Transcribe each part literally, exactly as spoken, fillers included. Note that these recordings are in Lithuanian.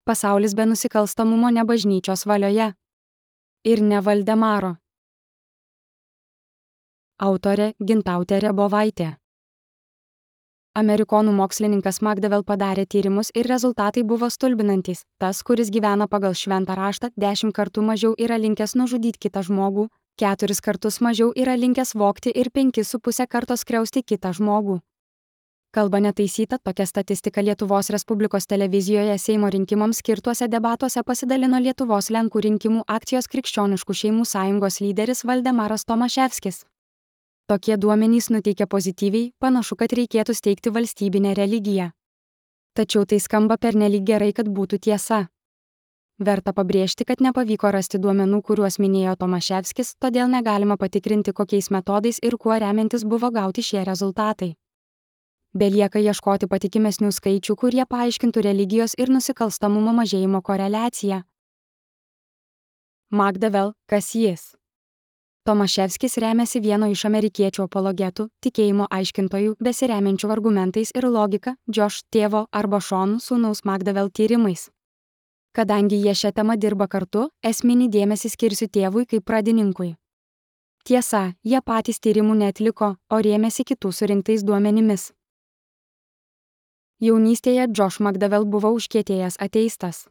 Pasaulis be nusikalstamumo ne bažnyčios valioje. Ir ne Valdemaro. Autorė Gintautė Rebovaitė. Amerikonų mokslininkas McDowell padarė tyrimus ir rezultatai buvo stulbinantys. Tas, kuris gyvena pagal šventą raštą, dešimt kartų mažiau yra linkęs nužudyti kitą žmogų, keturis kartus mažiau yra linkęs vogti ir penkis su pusę karto skriausti kitą žmogų. Kalba netaisyta, tokia statistika Lietuvos Respublikos televizijoje Seimo rinkimams skirtuose debatuose pasidalino Lietuvos Lenkų rinkimų akcijos Krikščioniškų šeimų sąjungos lyderis Valdemaras Tomaševskis. Tokie duomenys nuteikia pozityviai, panašu, kad reikėtų steigti valstybinę religiją. Tačiau tai skamba pernelyg gerai, kad būtų tiesa. Verta pabrėžti, kad nepavyko rasti duomenų, kuriuos minėjo Tomaševskis, todėl negalima patikrinti, kokiais metodais ir kuo remiantis buvo gauti šie rezultatai. Belieka ieškoti patikimesnių skaičių, kurie paaiškintų religijos ir nusikalstamumo mažėjimo koreliaciją. McDowell, kas jis? Tomaševskis remiasi vieno iš amerikiečių apologetų, tikėjimo aiškintojų, besiremiančių argumentais ir logika, Josh tėvo arba Sean sūnaus McDowell tyrimais. Kadangi jie šią temą dirba kartu, esminį dėmesį skirsiu tėvui kaip pradininkui. Tiesa, jie patys tyrimų neatliko, o rėmėsi kitų surinktais duomenimis. Jaunystėje Josh McDowell buvo užkietėjęs ateistas.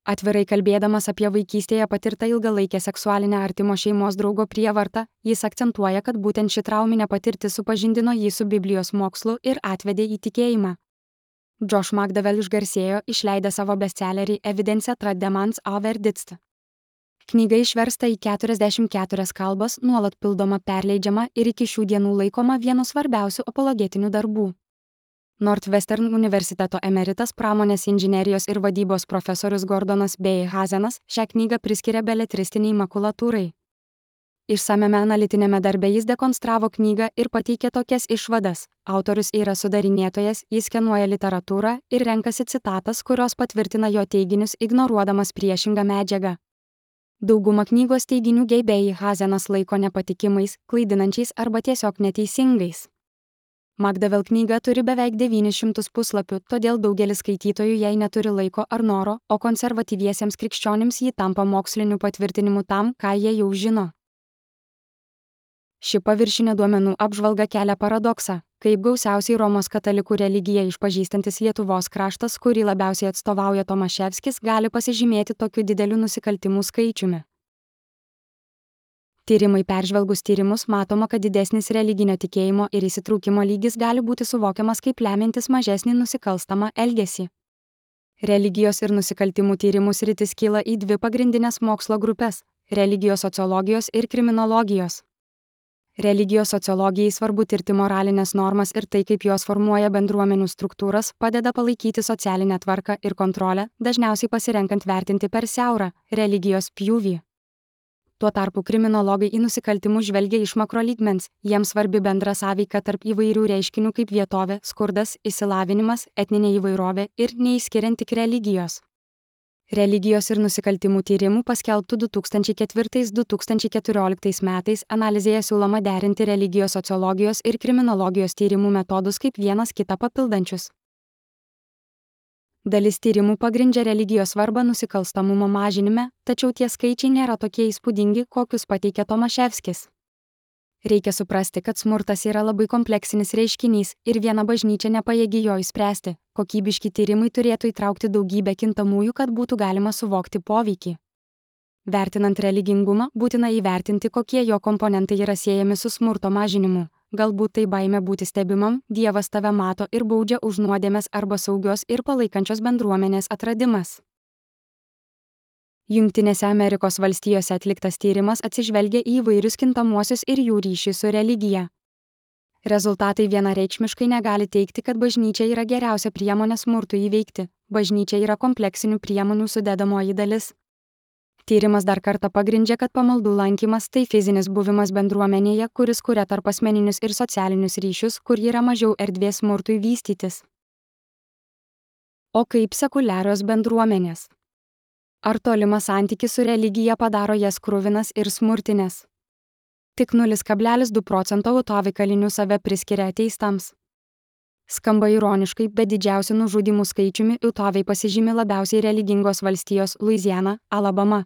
Atvirai kalbėdamas apie vaikystėje patirtą ilgalaikę seksualinę artimo šeimos draugo prievartą, jis akcentuoja, kad būtent ši trauminė patirtis supažindino jį su Biblijos mokslu ir atvedė į tikėjimą. Josh McDowell išgarsėjo, išleidę savo bestsellerį Evidence trad demans a verdictą. Knyga išversta į keturiasdešimt keturias kalbas, nuolat pildoma, perleidžiama ir iki šių dienų laikoma vienu svarbiausių apologetinių darbų. Northwestern universiteto emeritas pramonės inžinerijos ir vadybos profesorius Gordonas B. Hazenas šią knygą priskiria beletristiniai makulatūrai. Išsamiame analitinėme darbe jis dekonstravo knygą ir pateikė tokias išvadas. Autorius yra sudarinėtojas, jis skenuoja literatūrą ir renkasi citatas, kurios patvirtina jo teiginius, ignoruodamas priešingą medžiagą. Daugumą knygos teiginių geibėjai Hazenas laiko nepatikimais, klaidinančiais arba tiesiog neteisingais. McDowell knyga turi beveik devynis šimtus puslapių, todėl daugelis skaitytojų jai neturi laiko ar noro, o konservatyviesiems krikščionims ji tampa moksliniu patvirtinimu tam, ką jie jau žino. Ši paviršinė duomenų apžvalga kelia paradoksą, kaip gausiausiai Romos katalikų religiją išpažįstantis Lietuvos kraštas, kurį labiausiai atstovauja Tomaševskis, gali pasižymėti tokiu dideliu nusikaltimų skaičiumi. Tyrimai peržvelgus tyrimus matoma, kad didesnis religinio tikėjimo ir įsitraukimo lygis gali būti suvokiamas kaip lemiantis mažesnį nusikalstamą elgesį. Religijos ir nusikaltimų tyrimų sritis kyla į dvi pagrindinės mokslo grupės – religijos sociologijos ir kriminologijos. Religijos sociologijai svarbu tirti moralinės normas ir tai, kaip jos formuoja bendruomenių struktūras, padeda palaikyti socialinę tvarką ir kontrolę, dažniausiai pasirenkant vertinti per siaurą religijos pjūvį. Tuo tarpu kriminologai į nusikaltimus žvelgia iš makrolygmens, jiems svarbi bendra sąveika tarp įvairių reiškinių kaip vietovė, skurdas, išsilavinimas, etninė įvairovė ir neišskiriant tik religijos. Religijos ir nusikaltimų tyrimų paskelbtų du tūkstančiai ketvirtais - du tūkstančiai keturioliktais metais analizėje siūloma derinti religijos sociologijos ir kriminologijos tyrimų metodus kaip vienas kitą papildančius. Dalis tyrimų pagrindžia religijos svarbą nusikalstamumo mažinime, tačiau tie skaičiai nėra tokie įspūdingi, kokius pateikia Tomaševskis. Reikia suprasti, kad smurtas yra labai kompleksinis reiškinys ir viena bažnyčia nepajėgi jo išspręsti. Kokybiški tyrimai turėtų įtraukti daugybę kintamųjų, kad būtų galima suvokti poveikį. Vertinant religingumą, būtina įvertinti, kokie jo komponentai yra siejami su smurto mažinimu. Galbūt tai baimė būti stebimam, Dievas tave mato ir baudžia už nuodėmes arba saugios ir palaikančios bendruomenės atradimas. Jungtinėse Amerikos valstijose atliktas tyrimas atsižvelgia į įvairius kintamuosius ir jų ryšį su religija. Rezultatai vienareikšmiškai negali teigti, kad bažnyčia yra geriausia priemonė smurtui įveikti. Bažnyčia yra kompleksinių priemonių sudedamoji dalis. Tyrimas dar kartą pagrindžia, kad pamaldų lankymas tai fizinis buvimas bendruomenėje, kuris kuria tarpasmeninius ir socialinius ryšius, kur yra mažiau erdvės smurtui vystytis. O kaip sekuliarios bendruomenės? Ar tolimas santykis su religija padaro jas kruvinas ir smurtinės? Tik nulis kablelis du procento autovikalinių save priskiria ateistams. Skamba ironiškai, bet didžiausiu nužudymų skaičiumi Utaviai pasižymi labiausiai religingos valstijos Luiziana, Alabama.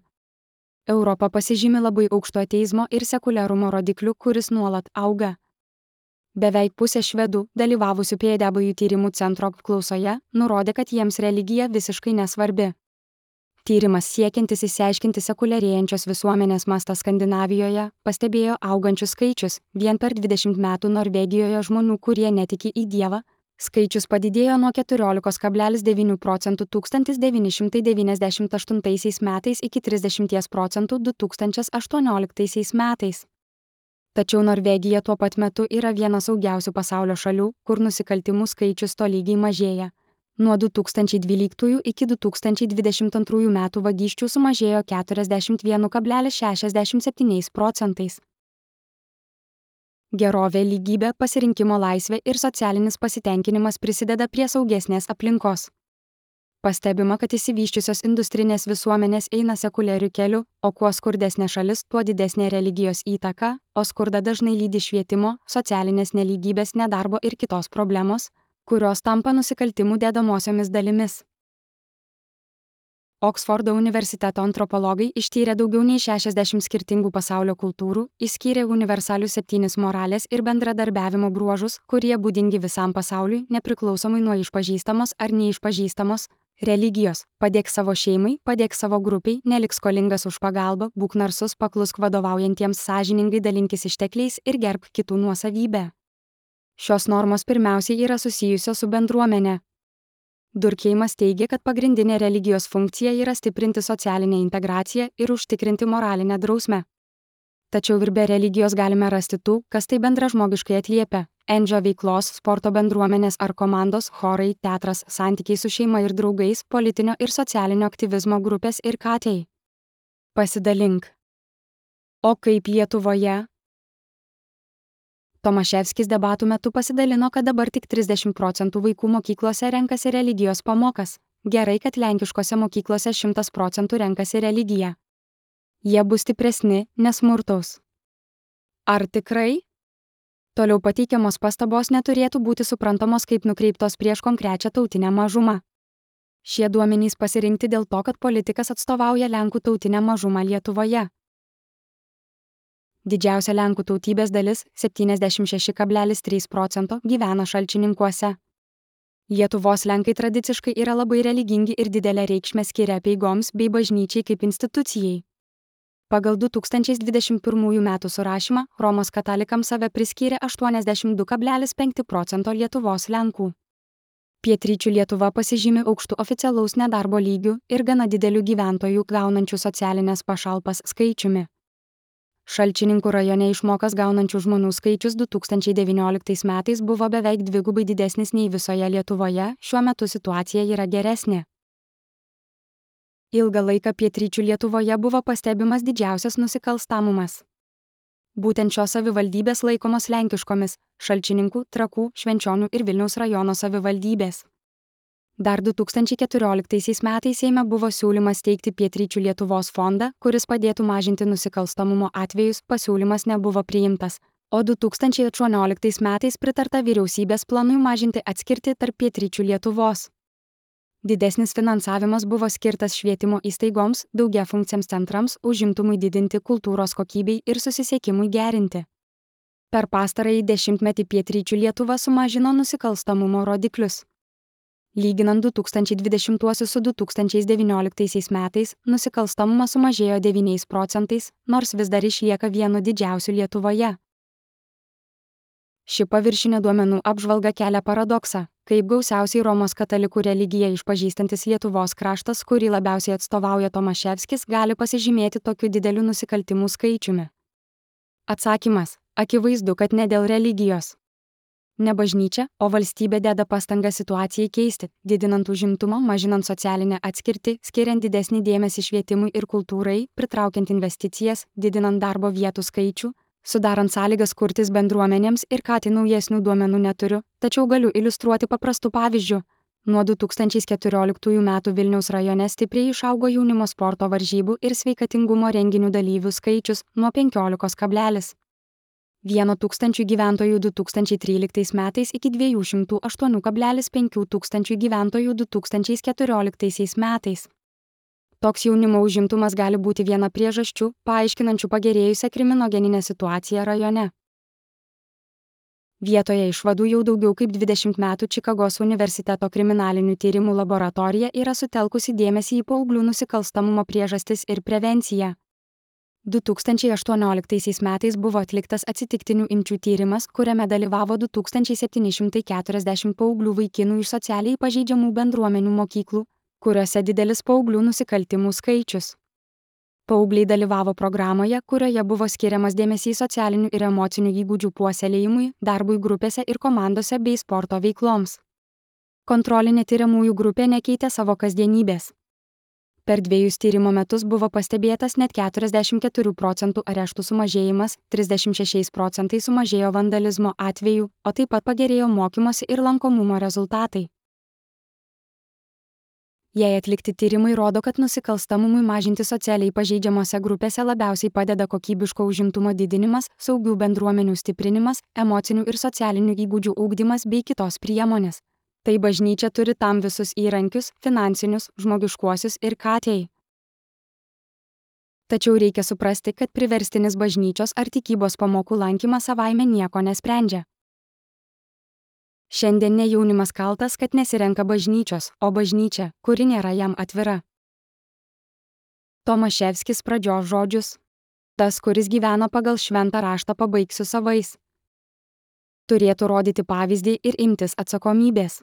Europa pasižymi labai aukšto ateizmo ir sekuliarumo rodikliu, kuris nuolat auga. Beveik pusė švedų, dalyvavusių P W tyrimų centro apklausoje, nurodė, kad jiems religija visiškai nesvarbi. Tyrimas siekiantis išsiaiškinti sekuliarėjančios visuomenės mastą Skandinavijoje pastebėjo augančius skaičius. Vien per dvidešimt metų Norvegijoje žmonių, kurie netiki į Dievą, skaičius padidėjo nuo keturiolikos kablelis devynių procentų tūkstantis devyni šimtai devyniasdešimt aštuntaisiais metais iki trisdešimties procentų du tūkstančiai aštuonioliktaisiais metais. Tačiau Norvegija tuo pat metu yra viena saugiausių pasaulio šalių, kur nusikaltimų skaičius tolygiai mažėja. Nuo du tūkstančiai dvyliktųjų iki du tūkstančiai dvidešimt antrųjų metų vagysčių sumažėjo keturiasdešimt vienas kablelis šešiasdešimt septyni procentais. Gerovė, lygybė, pasirinkimo laisvė ir socialinis pasitenkinimas prisideda prie saugesnės aplinkos. Pastebima, kad išsivysčiusios industrinės visuomenės eina sekuliariu keliu, o kuo skurdesnė šalis, tuo didesnė religijos įtaka, o skurda dažnai lydi švietimo, socialinės nelygybės, nedarbo ir kitos problemos, kurios tampa nusikaltimų dedamosiomis dalimis. Oksfordo universiteto antropologai ištyrė daugiau nei šešiasdešimt skirtingų pasaulio kultūrų, išskyrė universalius septynis moralės ir bendradarbiavimo bruožus, kurie būdingi visam pasauliui, nepriklausomai nuo išpažįstamos ar neišpažįstamos religijos. Padėk savo šeimai, padėk savo grupiai, nelik skolingas už pagalbą, būk narsus, paklusk vadovaujantiems, sąžiningai dalinkis ištekliais ir gerbk kitų nuosavybę. Šios normos pirmiausiai yra susijusios su bendruomenė. Durkeimas teigia, kad pagrindinė religijos funkcija yra stiprinti socialinę integraciją ir užtikrinti moralinę drausmę. Tačiau ir be religijos galime rasti tų, kas tai bendražmogiškai atliepia. Endžio veiklos, sporto bendruomenės ar komandos, chorai, teatras, santykiai su šeima ir draugais, politinio ir socialinio aktyvizmo grupės ir katei. Pasidalink. O kaip Lietuvoje? Tomaševskis debatų metu pasidalino, kad dabar tik trisdešimt procentų vaikų mokyklose renkasi religijos pamokas. Gerai, kad lenkiškose mokyklose šimtas procentų renkasi religiją. Jie bus stipresni, nesmurtaus. Ar tikrai? Toliau pateikiamos pastabos neturėtų būti suprantamos kaip nukreiptos prieš konkrečią tautinę mažumą. Šie duomenys pasirinkti dėl to, kad politikas atstovauja lenkų tautinę mažumą Lietuvoje. Didžiausia lenkų tautybės dalis - septyniasdešimt šeši kablelis trys procento gyvena Šalčininkuose. Lietuvos lenkai tradiciškai yra labai religingi ir didelę reikšmę skiria apeigoms bei bažnyčiai kaip institucijai. Pagal du tūkstančiai dvidešimt pirmųjų metų surašymą Romos katalikams save priskyrė aštuoniasdešimt du kablelis penki procento Lietuvos lenkų. Pietryčių Lietuva pasižymi aukštu oficialaus nedarbo lygiu ir gana dideliu gyventojų gaunančių socialinės pašalpas skaičiumi. Šalčininkų rajone išmokas gaunančių žmonių skaičius du tūkstančiai devynioliktais metais buvo beveik dvigubai didesnis nei visoje Lietuvoje, šiuo metu situacija yra geresnė. Ilgą laiką pietryčių Lietuvoje buvo pastebimas didžiausias nusikalstamumas. Būtent šios savivaldybės laikomos lenkiškomis - Šalčininkų, Trakų, Švenčionių ir Vilniaus rajono savivaldybės. Dar du tūkstančiai keturioliktaisiais metais Seime buvo siūlymas steigti Pietryčių Lietuvos fondą, kuris padėtų mažinti nusikalstamumo atvejus, pasiūlymas nebuvo priimtas, o du tūkstančiai aštuonioliktais metais pritarta vyriausybės planui mažinti atskirtį tarp Pietryčių Lietuvos. Didesnis finansavimas buvo skirtas švietimo įstaigoms, daugiafunkciams centrams, užimtumui didinti, kultūros kokybei ir susisiekimui gerinti. Per pastarąjį dešimtmetį Pietryčių Lietuva sumažino nusikalstamumo rodiklius. Lyginant du tūkstančiai dvidešimtuosius su du tūkstančiai devynioliktaisiais metais, nusikalstamumas sumažėjo devyniais procentais, nors vis dar išlieka vienu didžiausių Lietuvoje. Ši paviršinė duomenų apžvalga kelia paradoksą, kaip gausiausiai Romos katalikų religiją išpažįstantis Lietuvos kraštas, kurį labiausiai atstovauja Tomaševskis, gali pasižymėti tokiu dideliu nusikaltimų skaičiumi. Atsakymas - akivaizdu, kad ne dėl religijos. Ne bažnyčia, o valstybė deda pastangą situacijai keisti, didinant užimtumą, mažinant socialinę atskirtį, skiriant didesnį dėmesį švietimui ir kultūrai, pritraukiant investicijas, didinant darbo vietų skaičių, sudarant sąlygas kurtis bendruomenėms ir ką tai naujesnių duomenų neturiu, tačiau galiu iliustruoti paprastu pavyzdžiu. Nuo du tūkstančiai keturioliktųjų metų Vilniaus rajone stipriai išaugo jaunimo sporto varžybų ir sveikatingumo renginių dalyvių skaičius nuo penkiolikos kablelis vieno tūkstančio gyventojų du tūkstančiai tryliktais metais iki dviejų šimtų aštuonių kablelis penkių tūkstančių gyventojų du tūkstančiai keturioliktais metais. Toks jaunimo užimtumas gali būti viena priežasčių, paaiškinančių pagerėjusią kriminogeninę situaciją rajone. Vietoje išvadų jau daugiau kaip dvidešimt metų Čikagos universiteto kriminalinių tyrimų laboratorija yra sutelkusi dėmesį į paauglių nusikalstamumo priežastis ir prevenciją. du tūkstančiai aštuonioliktais metais buvo atliktas atsitiktinių imčių tyrimas, kuriame dalyvavo du tūkstančiai septyni šimtai keturiasdešimt paauglių vaikinų iš socialiai pažeidžiamų bendruomenių mokyklų, kuriuose didelis paauglių nusikaltimų skaičius. Paaugliai dalyvavo programoje, kurioje buvo skiriamas dėmesys socialinių ir emocinių įgūdžių puoselėjimui, darbui grupėse ir komandose bei sporto veikloms. Kontrolinė tyriamųjų grupė nekeitė savo kasdienybės. Per dviejus tyrimo metus buvo pastebėtas net keturiasdešimt keturių procentų areštų sumažėjimas, trisdešimt šešiais procentais sumažėjo vandalizmo atvejų, o taip pat pagerėjo mokymosi ir lankomumo rezultatai. Jei atlikti tyrimai rodo, kad nusikalstamumui mažinti socialiai pažeidžiamose grupėse labiausiai padeda kokybiško užimtumo didinimas, saugių bendruomenių stiprinimas, emocinių ir socialinių įgūdžių ugdymas bei kitos priemonės. Tai bažnyčia turi tam visus įrankius, finansinius, žmogiškuosius ir katei. Tačiau reikia suprasti, kad priverstinis bažnyčios ar tikybos pamokų lankymas savaime nieko nesprendžia. Šiandien ne jaunimas kaltas, kad nesirenka bažnyčios, o bažnyčia, kuri nėra jam atvira. Tomaševskis pradžios žodžius. Tas, kuris gyvena pagal šventą raštą, pabaigsiu savais. Turėtų rodyti pavyzdį ir imtis atsakomybės.